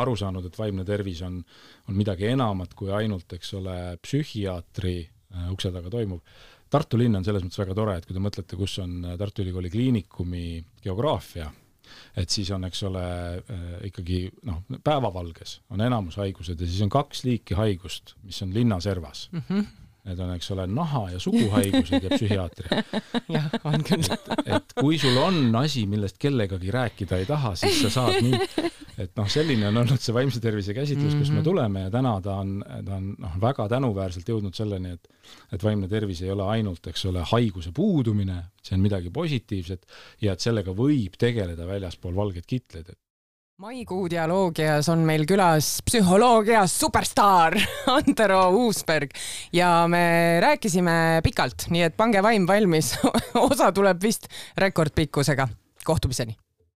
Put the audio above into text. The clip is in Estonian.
aru saanud, et vaimne tervis on midagi enamat kui ainult, eks ole, psühhiaatri ukse taga toimub. Tartu linn on selles mõttes väga tore, et kui te mõtlete, kus on Tartu Ülikooli kliinikumi geograafia, et siis on, eks ole, ikkagi päevavalges on enamus haigused ja siis on 2 liiki haigust, mis on linnaservas. Need on, eks ole, naha- ja suguhaigused ja psühhiaatria. Jah, on küll. Et kui sul on asi, millest kellegagi rääkida ei taha, siis sa saad nii, et selline on olnud see vaimse tervise käsitlus, kus me tuleme ja täna ta on väga tänuväärselt jõudnud selleni, et vaimne tervis ei ole ainult, eks ole, haiguse puudumine, see on midagi positiivset ja et sellega võib tegeleda väljaspool valgeid kitleid. Maikuu dialoogias on meil külas psühholoogia superstaar Antero Uusberg ja me rääkisime pikalt, nii et pange vaim valmis. Osa tuleb vist rekordpikkusega. Kohtumiseni!